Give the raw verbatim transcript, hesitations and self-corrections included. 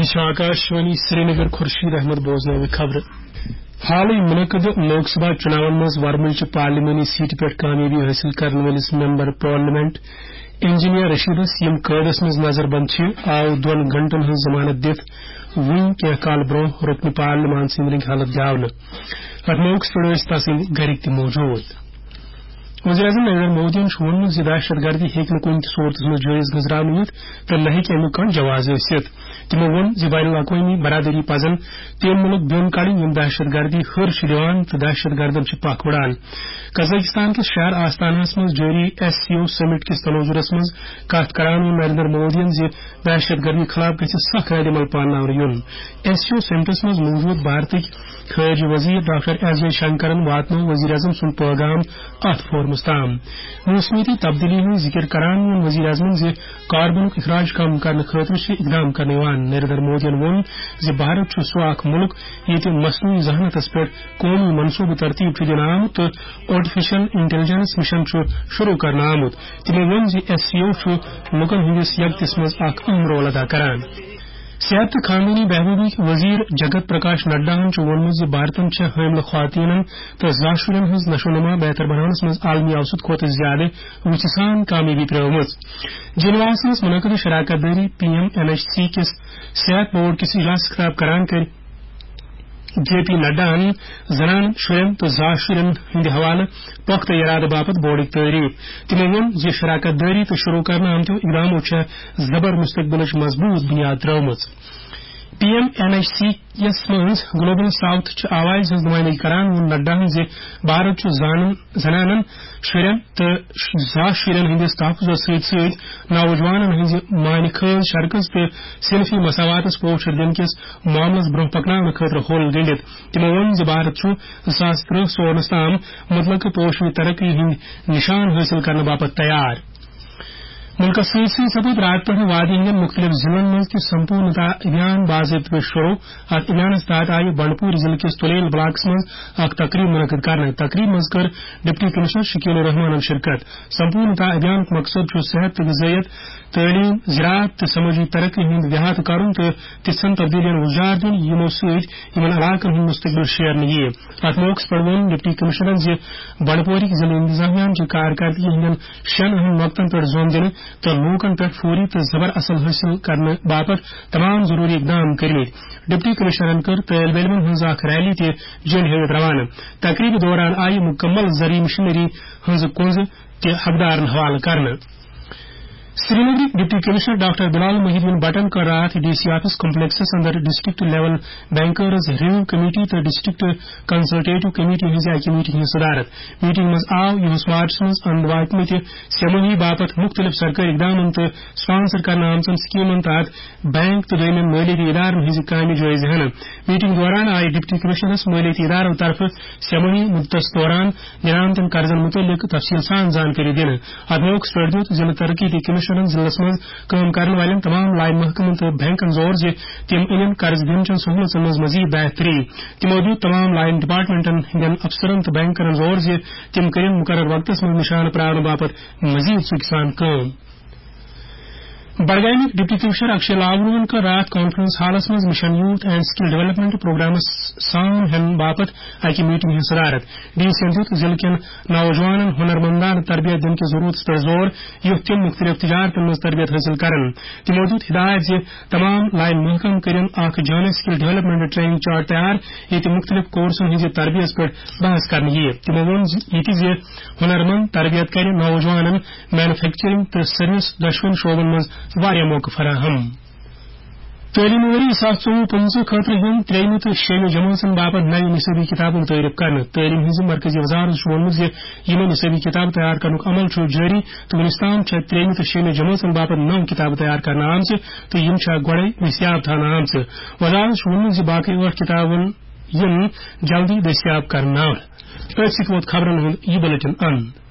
یہِ چھِ آکاشوانی سرینگر۔ خورشید احمد بوزناوِ خبرٕ۔ حالٕے منعقد لوک سبھا چُناون منٛز ورمُلچہِ پارلیمانی سیٹہِ پٮ۪ٹھ کامیٲبی حٲصِل کرن وٲلِس ممبر پارلیمنٹ انجینئر رشیدس، یِم قٲدس منٛز نظر بند چھِ، آو دۄن گھنٹن ہٕنٛز ضمانت دِتھ وُنہِ کینٛہہ کال برونٛہہ رُکنہِ پارلیمان سٕنٛدۍ رٔنگۍ حلف دیاونہٕ۔ اتھ موقعس پٮ۪ٹھ ٲسۍ تسٕنٛدۍ گرِکۍ تہِ موجود۔ وزیر اعظم نریندر مودیَن چھُ ووٚنمُت زِ دہشت گردی ہیٚکہِ نہٕ کُنہِ تہِ صورتس منٛز جٲیز گٔنزراونہٕ یِتھ تہٕ نہ ہیٚکہِ امیُک کانٛہہ جواز ٲسِتھ۔ تِمو ووٚن زِ بین الاقوٲمی برادری پزن تِم مُلک بیوٚن کڑٕنۍ، یِم دہشت گردی ہُر چھِ دِوان تہٕ دہشت گردن چھِ پکھ وُڑان۔ قزاقستان کِس شہر آستاناہَس منٛز جٲری ایس سی او سمٹ کِس تناظرس منٛز کتھ کران ووٚن نریندر مودیَن زِ دہشت گردی خلاف گژھِ سخ ردعمل پانناونہٕ یُن۔ ایس سی او سمٹس منٛز موجود بھارتٕکۍ خارجہ وزیر ڈاکٹر ایس جے شنکرن واتنوو وزیر اعظم سُنٛد پٲغام اتھ فورمس تام۔ موسمیٲتی تبدیلی ہُنٛد ذکر کران ووٚن وزیر اعظمن زِ کاربنُک اخراج کم کرنہٕ خٲطرٕ چھِ اقدام کرنہٕ یِوان۔ نریندر مودیَن ووٚن زِ بھارت چھُ سُہ اکھ مُلک ییٚتہِ مصنوعی ذہانتس پٮ۪ٹھ قومی منصوبہٕ ترتیب چھُ دِنہٕ آمُت تہٕ آرٹیفیشل انٹیلیجنس مشن چھُ شروع کرنہٕ آمُت۔ تِمو ووٚن زِ ایس سی او چھُ لوٗکن ہٕنٛدِس یکجہتس منٛز اکھ اہم رول ادا کران۔ صحت تہٕ خاندٲنی بہبوٗدٕکۍ وزیر جگت پرکاش نڈاہن چھُ ووٚنمُت زِ بھارتن چھےٚ حٲملہٕ خواتینن تہٕ زا شُرٮ۪ن ہٕنٛز نشو نما بہتر بناونس منٛز عالمی اوسط کھۄتہٕ زیادٕ وُژھِ سان کامیٲبی پرٲومٕژ۔ جنیواہس منٛز منعقد شراکت دٲری P M N H C کِس صحت بورڈ کِس اجلاسس خطاب کران کٔرۍ جے پی نڈاہن زنانن، شُرٮ۪ن تہٕ زا شُرٮ۪ن ہٕنٛدِ حوالہٕ پۄختہٕ ارادٕ باپتھ بورڈٕچ تعریف۔ تِمو ووٚن زِ شراکت دٲری تہٕ شروع کرنہٕ آمتیو اقدامو چھےٚ زبر مستقبلٕچ مضبوٗط بُنیاد ترٲومٕژ۔ P M N H C یَس منٛز گلوبل ساؤتھ چہِ آوازِ ہٕنٛز نُمٲیندگی کران ووٚن نڈاہن زِ بھارت چھُ زانن، زنانن، شُرٮ۪ن تہٕ زا شُرٮ۪ن ہٕنٛدِس تحفظس سۭتۍ سۭتۍ نوجوانن ہٕنٛزِ مانہِ خٲز شرکٕز تہٕ صنفی مساواتس پوچھر دِنہٕ کِس معاملس برونٛہہ پکناونہٕ خٲطرٕ ہوٚل گٔنٛڈِتھ۔ تِمو ووٚن زِ بھارت چھُ زٕ ساس ترٕٛہ سورنس تام مطلقہٕ پوشوی ترقی ہٕنٛدۍ نشان حٲصِل کرنہٕ باپتھ تیار۔ مُلکَس سۭتۍ سۭتۍ سپُد راتہٕ پٮ۪ٹھٕ وادی ہٕنٛدٮ۪ن مُختٔلِف ضلعن منٛز تہِ سمپورنتا ابھیان باضٲبطہٕ پٲٹھۍ شروع۔ اَتھ ابھیانَس تحت آیہِ بنڈپور ضلعہٕ کِس تُلیل بلاکَس منٛز اکھ تقریٖب منعقد کرنہٕ۔ تقریٖب منٛز کٔر ڈپٹی کمشنر شکیل الرحمانَن شرکت۔ سمپورنتا ابھیانُک مقصد چھُ صحت تہٕ غذائیت، تعلیٖم، زراعت تہٕ سمٲجی ترقی ہُنٛد احاطہٕ کرُن تہٕ تِژھن تبدیلیَن وُزار دیُن، یِمو سۭتۍ یِمَن علاقَن ہُنٛد مستقبل شیرنہٕ یِیہِ۔ اَتھ موقعَس پٮ۪ٹھ ووٚن ڈپٹی کمشنرَن زِ بنڈپورِک ضلعہٕ انتظامیہ ہٕنٛز کارکردگی ہٕنٛدٮ۪ن شٮ۪ن اہم نۄقطن پٮ۪ٹھ زوم دِنہٕ تہٕ لوٗکن پٮ۪ٹھ فوری تہٕ زبر اثر حٲصِل کرنہٕ باپتھ تمام ضروٗری اقدام کٔرمٕتۍ۔ ڈپٹی کمشنرن کٔر طٲلبہِ علمن ہٕنٛز اکھ ریلی تہِ جنڈ ہٲوِتھ روانہٕ۔ تقریبہِ دوران آیہِ مُکمل زرعی مشینری ہٕنٛزٕ کُنزٕ تہِ حقدارن حوالہٕ کرنہٕ۔ سرینگرٕکۍ deputy commissioner doctor Bilal Mohi uddin بٹن کٔر راتھ ڈی سی آفس کمپلیکسس اندر district level bankers review committee تہٕ ڈسٹرکٹ کنسلٹیٹو کمیٹی ہٕنٛزِ اکہِ میٹنگ ہٕنٛز صدارت۔ میٹنگ منٛز آو یُہس مارچس منٛز اند واتمٕتہِ سہ مٲہی باپتھ مُختٔلِف سرکٲرۍ اقدامن تہٕ سپانسر کرنہٕ آمژن سکیمن تحت بینک تہٕ دوٚیمٮ۪ن مٲلیٲتی ادارن ہٕنٛزِ کامہِ جٲیزٕ ہٮ۪نہٕ۔ میٹنگ دوران آیہِ ڈپٹی کمشنرس مٲلیٲتی ادارو طرفہٕ سہ مٲہی مُدتس دوران دِنہٕ آمتٮ۪ن قرضن مُتعلق تفصیٖل سان زانکٲری دِنہٕ۔ اتھ موقعس پٮ۪ٹھ دیُت ضلعہٕ ترقیتی کمشنرن ضلعس منٛز کٲم کرن والٮ۪ن تمام لائن محکمن تہٕ بینکن زور زِ تِم أنِن قرض دِنہٕ چٮ۪ن سہوٗلژن منٛز مزید بہتری۔ تِمو دیُت تمام لائن ڈپارٹمنٹن ہٕنٛدٮ۪ن افسرن تہٕ بینکرن زور زِ تِم کٔرِن مقرر وقتس منٛز نشانہٕ پراونہٕ باپتھ مزید ژُکۍ سان کٲم۔ بڈگامٕکۍ ڈپٹی کمشنر اکشے لاورُن کٔر راتھ کانفرنس ہالس منٛز mission youth and skill development programmes سان ہٮ۪نہٕ باپتھ اکہِ میٹنگ ہٕنٛز صدارت۔ ڈی سیَن دیُت ضلعہٕ کٮ۪ن نوجوانن ہُنرمندانہٕ تربیت دِنہٕ کِس ضروٗرتس پٮ۪ٹھ زور، یُتھ تِم مُختٔلِف تجارتن منٛز تربیت حٲصِل کرن۔ تِمو دیُت ہدایت زِ تمام لائن محکمہٕ کٔرِن اکھ جامع سکل ڈیولپمنٹ ٹریننگ چارٹ تیار، ییٚتہِ مُختٔلِف کورسن ہٕنٛزِ تربیت پٮ۪ٹھ بحث کرنہٕ یِیہِ۔ تِمو ووٚن زِ ییٚتہِ زِ ہُنرمند تربیت کرِ نوجوانن مینوفیکچرنگ تہٕ سروس دۄشوٕنی شعبن منٛز واریاہ موقعہٕ فراہم۔ تعلیمی ؤری زٕ ساس ژوٚوُہ پٕنٛژٕہ خٲطرٕ یِن ترٛیٚیِمہِ تہٕ شیٚیِمہِ جمٲژن باپتھ نوِ نصٲبی کِتابُک تعارُف کرنہٕ۔ تعلیٖم ہٕنٛزِ مرکزی وزارت چھُ ووٚنمُت زِ یِمن نصٲبی کِتاب تیار کرنُک عمل چھُ جٲری تہٕ وُنیُک تام چھےٚ ترٛیٚیِمہِ تہٕ شیٚیِمہِ جمٲژن باپتھ نو کِتابہٕ تیار کرنہٕ آمژٕ تہٕ یِم چھےٚ گۄڈَے دٔستیاب تھاونہٕ آمژٕ۔ وزارت چھُ ووٚنمُت زِ باقٕے ٲٹھ کِتابَن یِن جلدی دٔستیاب کرنہٕ۔ أتھۍ سۭتۍ ووت خبرن ہُنٛد یہِ بُلٹن اند۔